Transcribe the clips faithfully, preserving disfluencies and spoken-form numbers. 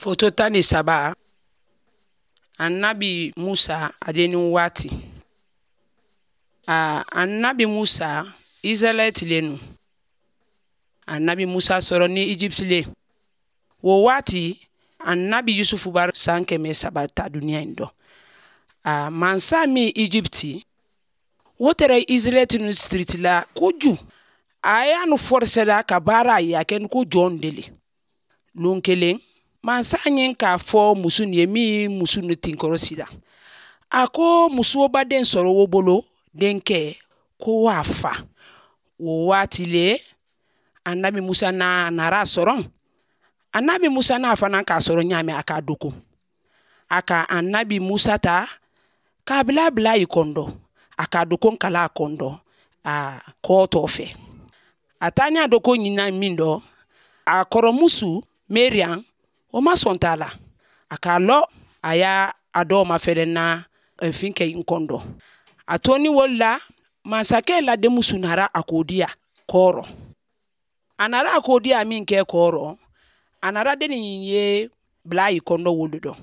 Foto tan ni saba, Annabi Musa a dennin waati. A Annabi Musa, Israɛlɛti le nu. Annabi Musa sɔrɔ ni Egypte le. O waati, Annabi Yusufu b'a san kɛmɛ saba ta duniya in dɔ. A mansa min Egypte, o tɛrɛ Israɛlɛti nu siriti la koju. A y'a nu forcé la ka baara ye a kɛ ko jɔn deli. Lon kelen, mansa ye k'a fɔ muso nin ye min muso ni tinkɔrɔ sira. A ko muso baden sɔrɔ o bolo denkɛ ko waa fa. O waati le, Annabi Musa n'a nara sɔrɔ. Annabi Musa n'a fana k'a sɔrɔ ɲaamɛ a k'a doko. A ka Annabi Musa ta k'a bila bila i kɔndɔ. A k'a doko kala a kɔndɔ a kɔtɔ fɛ. A taa ni a doko ɲinan min dɔ, a kɔrɔmuso Mariam, o ma sɔn t'a la. A k'a lɔ a y'a a dɔw ma fɛrɛ na fin kɛ n kɔndɔ. A to ni wolo la, masakɛ la denmuso nara a k'o diya kɔrɔ. A nara a k'o diya min kɛ kɔrɔ, a nara dennin ye bila i kɔndɔ wolo dɔ.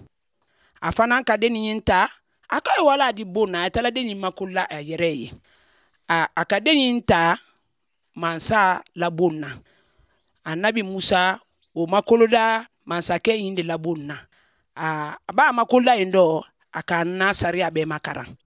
A fana ka dennin in ta, a ka ye wala di bon na, a taara dennin makola a yɛrɛ ye. A, a ka dennin in ta mansa labon na. Annabi Musa o makoloda masakɛ in de labon na. A, a b'a makoloda in dɔ, a ka na sariya bɛɛ makaran.